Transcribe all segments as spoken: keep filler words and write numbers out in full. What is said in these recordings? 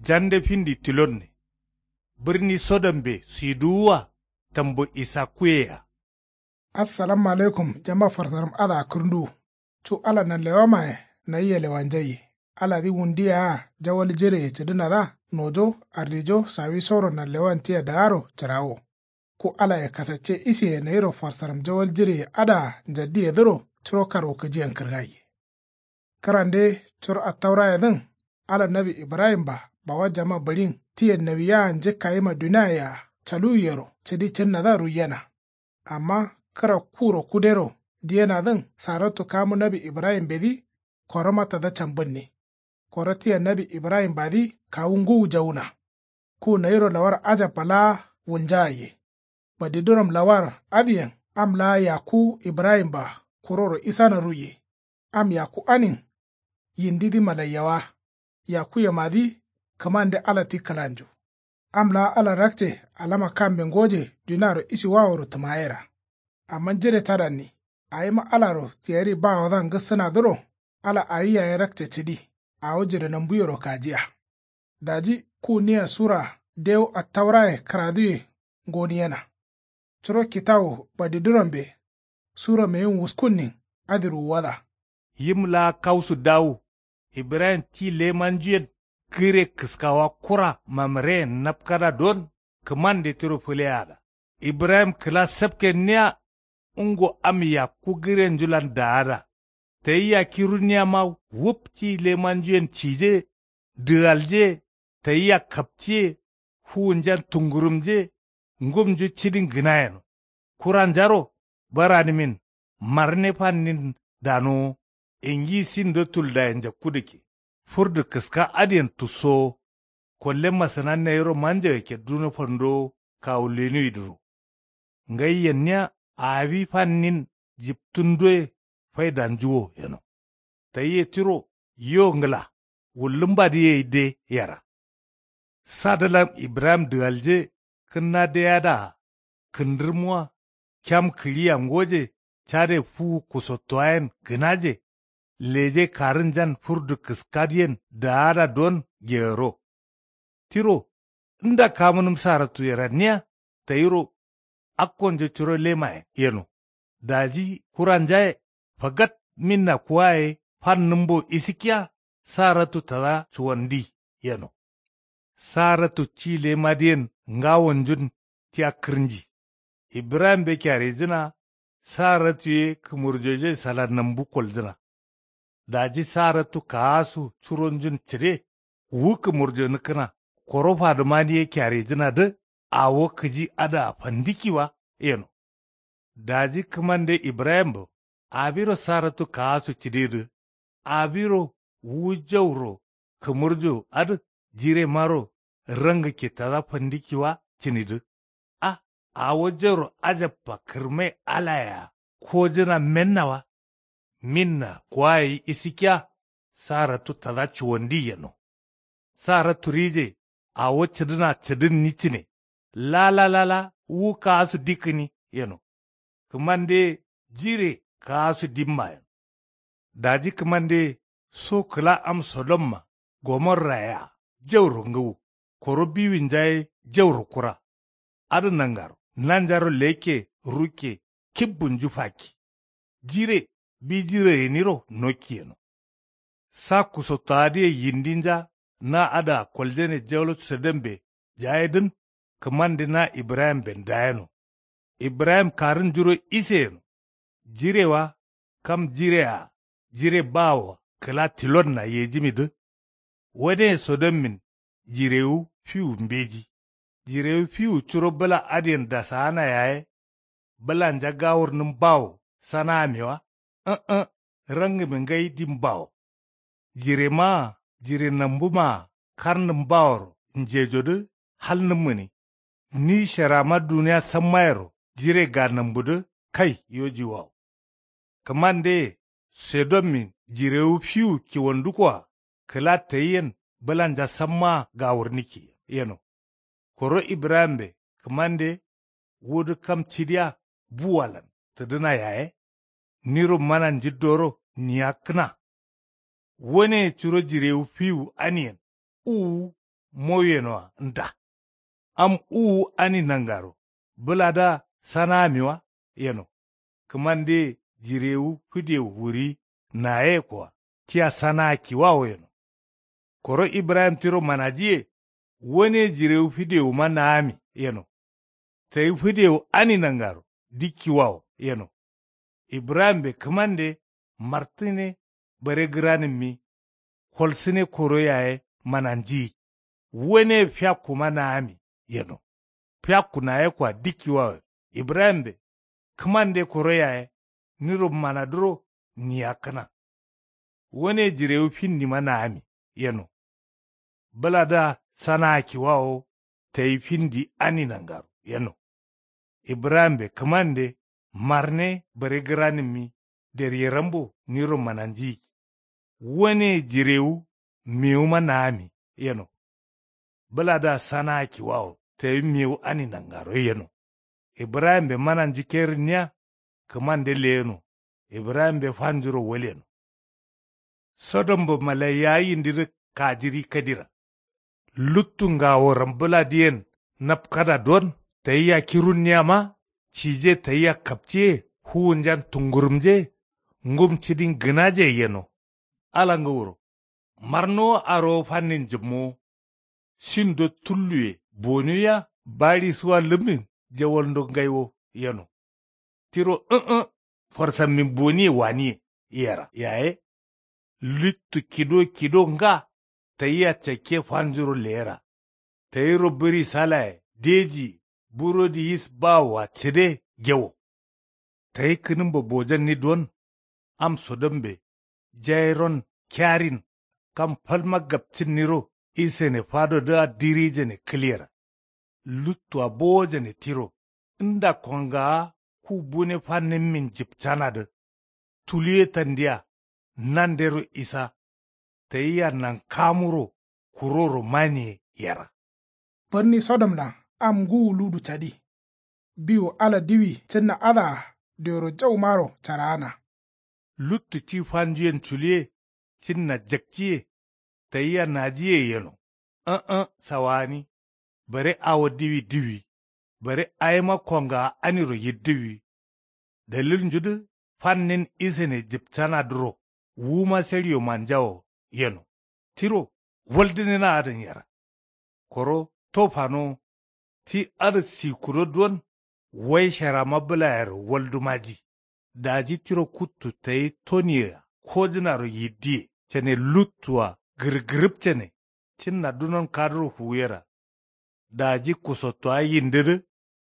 Jande findi tilonne. Birni sodombe suiduwuwa tambo isakkuye-a. Assalamu alaikum jama farsaram adǝa kǝrǝnduwu. Cu ala nanlewamaye nayi yelewanjaiye. Aladǝ wundu yea jawal jireye cǝdǝnadǝa nojo ardijo sawisoro nanlewan tia daaro cǝrawo. Ku alaye kasacce isiye nayiro farsaram jawal jireye adǝa njaddiyedǝro curo karwukǝjiyen kǝrgaiye. Kǝrande curo attaurayedǝn ala nawi ibrahimba bawa jama bǝɍin tiyen nawiyaa njǝkkayima duniaye-a caluwiyero cǝdi cǝnnadǝa ruiyena. Amma kǝra kuro kudero diyenadǝn saratu kamu nawi ibrahimbedǝ koroma tada cambǝnni. Koro tia nawi ibrahimbadǝ kawu ngǝwu jawuna. Ku nayiro lawar ajabba laa wulnjagaiye. Badiduram lawar adǝyen am laa yakku ibrahimba kuroro isana ruiye. Am yakku anin yindidǝ malaiyawa. Yakkuyemadǝ kǝmande ala ti kǝlanju. Am laa ala rakce alama kambe ngoje duniaro isiwaworo tǝmayera. Amma jire cadanni awima alaro tiyari bawodǝa ngǝssǝnadǝro ala awi yaye rakce cǝdi. Awo jire nambuyero kajiya. Daji ku nia sura dewu attauraye kǝraduye ngoniyena. Curo kitawu badidurambe sura meyim wuskunnin adǝ ruwuwada. Yim laa kausu dawu ibrahim ti lemanjuyen gǝre kǝskawa kura mamǝreyen napkada don kǝmande tiro fǝleyaada. Ibrahim kǝla sapkenniya. Ungo am yakku gǝrenjulan daada. Tayi yakki runniyama wup ti lemanjuyen cije dǝgalje. Tayi yakkaptiye fuwunjan tungurumje. Ngumnju cidin gǝna yeno. Kuranjaro baranǝmin marne fannin danowo. Ingi sindo tuldaye njakkudǝkke furdu kǝska adǝyen tussowo. Kolle masǝna nayiro manjagakke duno fandowo kawu lenuwidǝro. Ngai yenniya awi fannin jiptǝndoye faidanjuwo yeno. Tayiye tiro yo ngǝla wullǝmbadǝ yei de yera. Sadǝlan ibrahim dǝgalje kǝnna deyadaa kǝndǝrmuwa. Kyam kǝɍiya ngoje cade fuwu kusottowayen gǝnaje. Leje karǝnjan furdu kǝskadǝyen daada don geyoro. Tiro nda kamunǝm saratu yeranniya tayiro akkonjo curo lemayen yeno. Daji kuranjaye fagat minna kuwaye fannǝmbo isikkiya saratu tada cuwandi yeno. Saratu ci lemadǝyen ngawonjun tia kǝrnji. Ibrahimbe kyarijǝna. Saratu ye kǝmurjoje sala nambu koljǝna. Daji saratu kaasu curonjun cǝde wu kǝmurjo nǝkkǝna. Koro fadǝmani ye kyarijǝnadǝ awo kǝji adǝa fandikki wa yeno. Daji kǝmande ibrahimbo awiro saratu kaasu cǝdedǝ awiro wu jauro kǝmurjo adǝ jiremaro rangǝkke tada fandikki wa cǝnidǝ. A awo jauro ajabba kǝrmai alayea kojǝna menna wa. Minna kuwaye isikkiya saratu tada cuwandi yeno. Saratu rije awo cǝdǝna cǝdǝnni cǝne. Lala lala wu kaasu dikkǝni yeno. Kǝmande jire kaasu dimma yeno. Daji kǝmande so kǝla am sodomma gomorraye-a jauro ngǝwu. Koro biwinja ye jauro kura. Adǝ nangaro nanjaro lekke rukke kibbunju fakki. Jire bi jire gǝniro nokki yeno. Sa kusottowadǝye yindinja na adǝa koljane jawal sodombe jayedǝn kǝmande na ibrahimben dayeno. Ibrahim karǝnjuro ise yeno. Jire wa kam jire-a jire bawoa kǝla tilonna yejimidǝ. Waneye sodommin jirewu fiwu mbeji. Jirewu fiwu curo bǝla adǝyen dasaana yaye bǝlanja gawurnǝm bawo saname wa. Ǝ̃-ǝ̃ rangǝme ngai dim bawo. Jiremaa jire nambumaa karnǝm baworo njejodǝ halnǝm gǝni. Ni sherama duniya sammayero jire ga nambudǝ kai yojiwawo. Kǝmandeye sodommin jirewu fiwu kiwandukkoa kǝla tayiyen bǝlanja sammaa gawurnikki yeno. Koro ibrahimbe kǝmande wudǝ kam cidiya buwalan tǝdǝna yaye niro mana njiddoro niyakkǝna. Waneye curo jirewu fiwu aniyen uwu mowiyenoa nda. Am uwu ani nangaro bǝladǝa sanaamiwa yeno. Kǝmande jirewu fǝdewu wuri nayekoa tia sanaa kiwawo yeno. Koro ibrahim tiro manajiye. Wane jirewu fǝdewuma naami yeno. Tayi fǝdewu ani nangaro dikkiwawo yeno. Ibrahimbe kǝmande martǝne bare gǝranǝmmi. Kolsǝne koro yaye mananjiyi. Wane fiyakkuma naami yeno. Fiyakku nayekoa dikkiwawo ibrahimbe kǝmande koro yaye niro manadǝro niyakkǝna. Wane jirewu findima naami yeno. Bǝladǝa sanaa kiwawo tayi findi ani nangaro yeno. Ibrahimbe kǝmande marne bare gǝranǝmmi. Deryerambo niro mananjiyi. Wane jirewu mewuma naami yeno. Bǝladǝa sanaa kiwawo tayi mewu ani nangaro yeno. Ibrahimbe mananju kerǝnniya. Kǝmande leyeno. Ibrahimbe fanjuro walyeno. Sodombo malaiyawa yindidǝ kajiri kadira. Luttu ngaworam bǝladǝyen napkada don tayia kirunniyama. Cije tayia kapciye fuwunjan tungurumje. Ngum cidin gǝnaje yeno. Ala ngǝwuro marnowo arowo fannin jǝmmowo. Sindo tulluye bonuwiya baɍisuwa lǝmin jawalndo ngaiwo yeno. Tiro ǝ̃-ǝ̃ farsammin boniye waniye yera yaye. Littu kido kido nga tayia cakke fanjuro leyera. Tayiro bǝri salaye deji burodi yis bawoa cǝde gewo. Tayi kǝnǝmbo bojanni don. Am sodombe jairon kiyarin kam falma gapcǝnniro isene fadodǝa dirijane kǝlyera. Luttua bowojane tiro nda kongawa ku bune fanǝmmin jǝpcanadǝ. Tuluye tandiya nandero isa. Tayia nankamuro kuroro maniye yera. Bǝrni sodomlan am ngǝwu ludu cadi. Biwu ala diwi cǝnna adǝa dioro jaumaro caraana. Luttu ci fanjuyen culiye cinna jakciye. Tayia najiye yeno. Ǝ̃-ǝ̃ sawani. Bare awo diwi diwi. Bare awima kongawa aniro yiddǝwi. Dalilnjudǝ fannin isene jǝpcanadǝro wuma seɍiyo manjawo yeno. Tiro waldǝnena adǝn yera. Koro to fanowo ti adǝ sikudo duwon. Wai sharama bǝlayero waldu maji. Daji tiro kuttu tayi toniyea kojǝnaro yiddiye cane luttua gǝrgǝrǝpcane. Cǝnna dunon kaduro fuwuyera. Daji kusottowa yindidǝ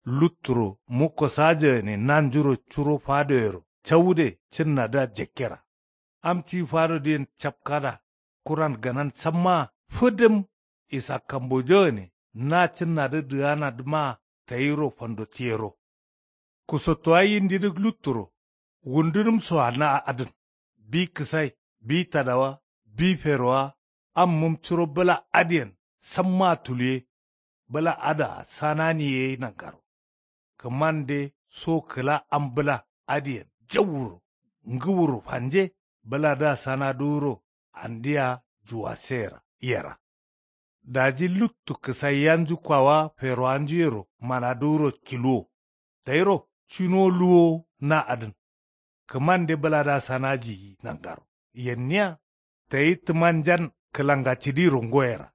lutturo mukko sajagane nanjuro curo fadoyero cawude cǝnnadǝa jakkera. Am ti fadodǝyen capkada kuran ganan sammaa fǝdǝm. Isa kambojagane na cǝnnadǝ dǝganadǝmaa tayiro fandotiyero. Kusottowa yindidǝ lutturo wundunǝmsoa na adǝn. Bi kǝsai bi tadawa bi ferowa. Ammǝm curo bǝla adǝyen sammaa tuluye. Bǝla adǝa sanani ye nangaro. Kǝmande so kǝla am bǝla adǝyen jawuro ngǝwuro fanje. Bǝladǝa sanadǝwuro andia juwaseyera yera. Daji luttu kǝsaiyanju kwawa ferowanjuyero manadǝwuro kiluwo. Tayiro cinowo luwowo na adǝn. Kǝmande bǝladǝa sanajiyi nangaro yenniya. Tayi tǝmanjan kǝlangacidiro ngoyera.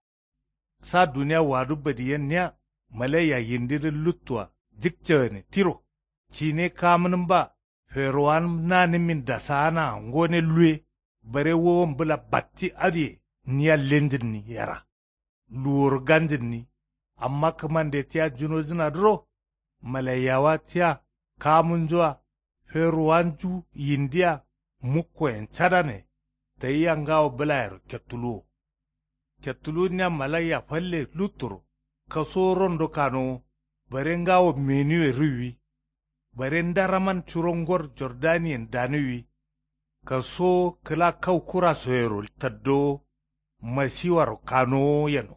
Sa duniya wadu badiyenniya. Malaiya yindidǝ luttua jǝkcagǝne tiro cine kamǝnǝmba. Ferowanǝm nanǝmmin dasaanaa ngone luwe. Bare wowon bǝla batti adǝye niya lenjǝnni yera. Luworo ganjǝnni. Amma kǝmande tia junojǝnadǝro malaiyawa tia kamǝnjua. Ferowanju yindia mukkoyen cadane. Tayia ngawo bǝlayero kettuluwo. Kettuluwunniya malaiya falle lutturo. Kasuwo rondo kanowo. Bare ngawo menuwe ruwwi. Bare ndaraman curo ngor jordaniyen danuwwi. Kasuwo kǝla kau kurasoyero taddowo. Masiwaro kanowo yeno.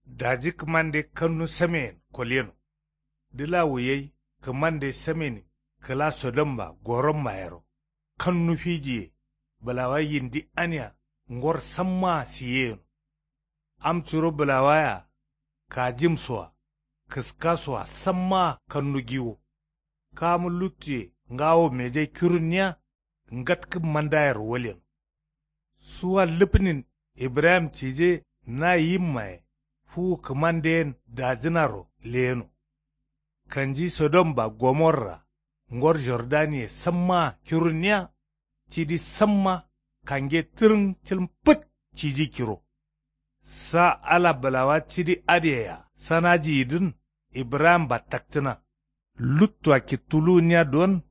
Daji kǝmande kannu sameyen kolyeno. Dǝlawu yai kǝmande samenin kǝla sodomma goromma yero. Kannu fijiye bǝlawa yindi ania ngor sammaa siye yeno. Am curo bǝlawa yea. Kajim soa kǝska soa sammaa kannu giwo. Kamu luttuye ngawo meje kirunniya. Ngatkǝ mandayero walyeno. Suwa lǝpnin ibrahim cije na yimmaye fuwu kǝmande yen dajǝnaro leyeno. Kanji sodom ba gomorra ngor jordaniye sammaa kirunniya. Cidi samma kange tǝrǝng cǝlǝm fǝt ciji kiro. Sa ala bǝlawa cidi adǝyea sanajiyidǝn ibrahim ba takcǝna. Luttua kittuluwunniya don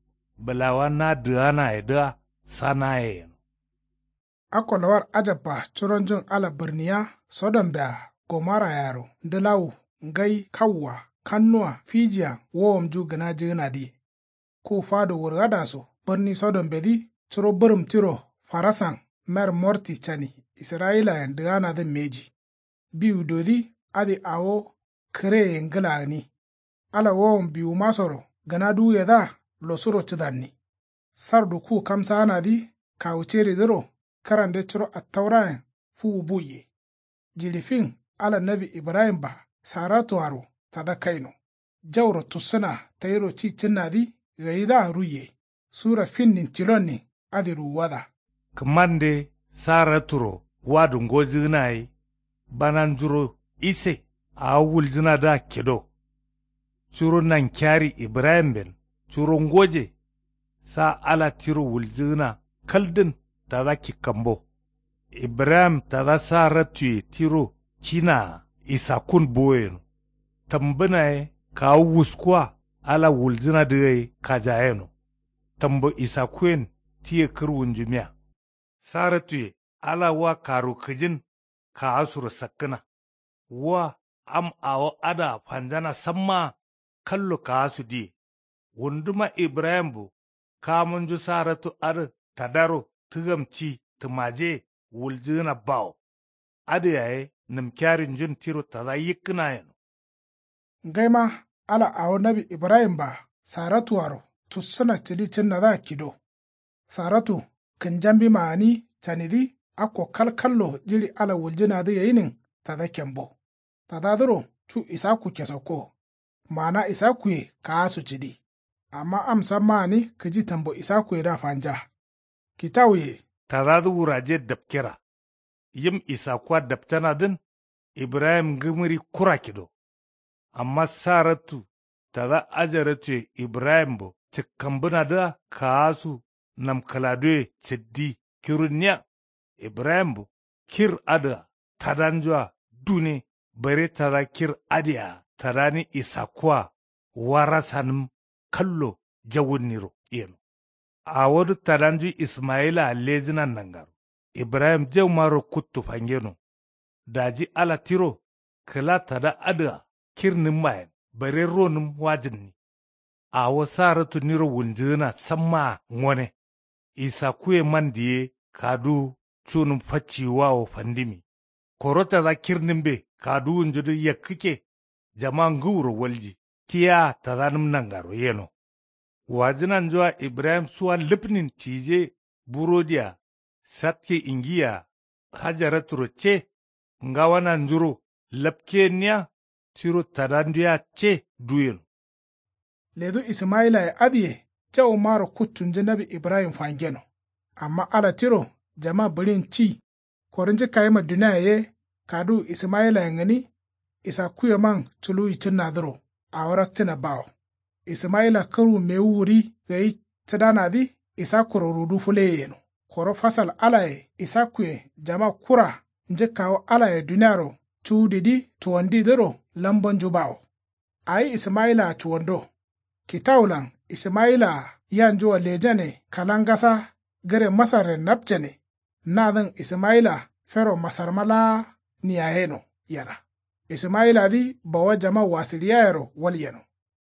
bǝlawa na dǝganayedǝa sanaye yeno. Akko lawar ajabba curonjun ala bǝrniya sodombea gomorayero ndǝlawu ngai kawua kannuwa fijiya wowomnju gǝnajǝgǝnadǝye. Ku fado wurgadaso bǝrni sodombedǝ curo bǝrǝm tiro farasan mer morti cani israyilayen dǝganadǝn mbeji. Biwudodǝ adǝ awo kǝreye ngǝla gǝni. Ala wowon biwumasoro gǝna duwuyedǝa losuro cǝdanni. Sardu ku kamsaanadǝ kawu ceridǝro kǝrande curo attaurayen fuwu buiye. Jiɍi fin ala nawi ibrahim-a saratuaro tada kaino. Jauro tussǝna tayiro ci cǝnnadǝ gayidǝa ruiye. Sura finnin cilonnin adǝ ruwuwada. Kǝmande saraturo wadu ngojǝgǝna gai. Bananjuro ise awo wuljǝnadǝa kido. Curo nankiyari ibrahimben curo ngoje. Sa ala tiro wuljǝgǝna kaldǝn tada kikkambo. Ibrahim tada sarattuye tiro cinaa isakkun boyeno. Tambǝnaye kawu wuskuwa ala wuljǝnadǝ gai kajayeno. Tambo isakkuyen tiye kǝrwunju miya. Sarattuye ala wa karu kǝjin kaasuro sakkǝna. Wa am awo adǝa fanjana sammaa kallo kaasu diye. Wunduma ibrahimbo kamunju saratu adǝ tadaro tǝgam ci tǝmaje wuljǝgǝna bawo. Adǝ yaye nǝmkiyarinjun tiro tada yikkǝna yeno. Ngaima ala awo nawi ibrahim-a saratuaro tussǝna cǝdi cǝnnadǝa kido. Saratu kǝnjambima gǝni canidǝ akko kalkallo jiɍi ala wuljǝnadǝ gainin tada kembo. Tadadǝro cu isakku kesakko. Maana isakkuye kaasu cǝdi. Amma am samma gǝni kǝji tambo isakkuyedǝa fanja. Kitawuye. Tadadǝ wuraje dapkera. Yim isakkua dapcanadǝn ibrahim ngǝmǝri kura kido. Amma sarattu tada ajarattuye ibrahimbo cǝkkambǝnadǝa kaasu namkǝladuwe cǝddi kirunniya. Ibrahimbo kir adǝa tadanjua dune bare tada kir adǝyea tadani isakkua warasanǝm kallo jawunniro yeno. Awodǝ tadanju ismayilaa lejǝnan nangaro. Ibrahim jaumaro kuttu fangeno. Daji ala tiro kǝla tada adǝa kirnǝmmayen bare ronǝm wajǝnni. Awo saratu niro wunjǝgǝna sammaa ngone. Isakkuye man diye kaduwu cunǝm facciyiwawo fandimi. Koro tada kirnǝmbe kaduwunjudǝ yakkǝkke. Jama ngǝwuro walji tia tadanǝm nangaro yeno. Wajǝnanjua ibrahim suwa lǝpnin cije burodiya satke ingiya hajaraturo ce ngawananjuro lapkeyenniya tiro tadanduya ce duyeno. Ledu ismayilaye adǝye jaumaro kuttunju nawi ibrahim fangeno. Amma ala tiro jama bǝɍin ci koro njǝkkayima duniaye ye kaduwu ismayilayen gǝni. Isakkuyeman culuwi cǝnnadǝro awo rakcǝna bawo. Ismayila kǝrwu mewu wuri gai cǝdanadǝ isakkuro rudu fǝleye yeno. Koro fasal alaye isakkuyen jama kura njǝkkawo alaye duniaro cuwudidǝ cuwandidǝro lambonju bawo. Awi ismayilaa cuwando. Kitawulan ismayilaa yanjua lejane kalangasa gǝre masarren napcane. Nadǝn ismayila fero masarma laa niyayeno yera. Ismayiladǝ bawa jama wasǝɍiyayero walyeno.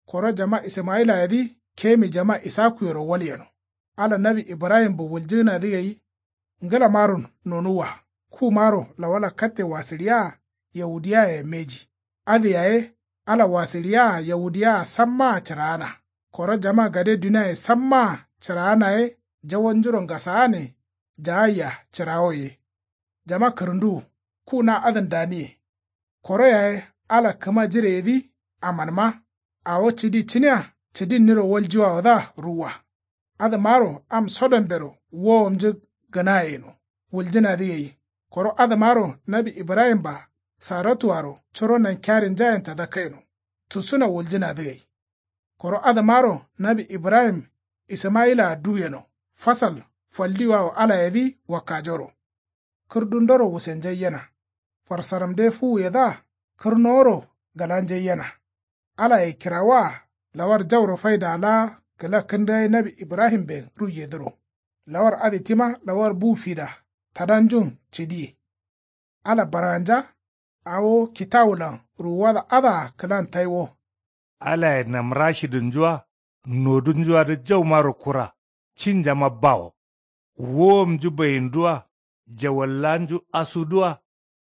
Koro jama ismayilayedǝ kemi jama isakkuyero walyeno. Ala nawi ibrahimbo wuljǝgǝnadǝ gai. Ngǝlamaro nonuwwa kumaro lawala katte wasǝɍiyaa yahudiyaye mbeji. Adǝ yaye ala wasǝɍiyaa yahudiyaa sammaa cǝraana. Koro jama gade duniaye sammaa cǝraana ye jawonjuro ngasaane jaayia cǝrawo ye. Jama kǝrǝnduwu. Ku na adǝn daniye. Koro yaye ala kǝma jireyedǝ. Amanma awo cǝdi cǝniya cǝdinniro waljiwawodǝa ruwwa. Adǝmaro am sodombero wowomnju gǝnaye yeno wuljǝnadǝ gai. Koro adǝmaro nawi ibrahim-a saratuaro curo nankiyarinjayen tada kaino tusuna wuljǝnadǝ gai. Koro adǝmaro nawi ibrahim ismayila-a du yeno fasal faldiwawo alayedǝ wakkajoro. Kǝrdundoro wusenjai yena. Farsaramde fuwuyedǝa kǝrnoworo gǝlanjai yena. Alaye kirawoa lawar jauro faida laa kǝla kǝndǝgai nawi ibrahimben ruiyedǝro. Lawar adǝ tima lawar bu fida tadanjun cǝdiye. Ala barganja awo kitawulan ruwuwada adǝa kǝlan tai wo. Alaye namrashidǝnju-a nodunju-adǝ jaumaro kura cinjama bawo. Wowomnju bayindu-a jawallanju asudu-a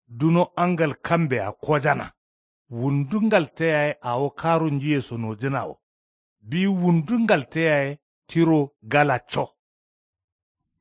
duno angal kambe-a kojana. Wundu ngalte yaye awo karunjuye sonojǝna wo. Biyi wundu ngalte yaye tiro galacco.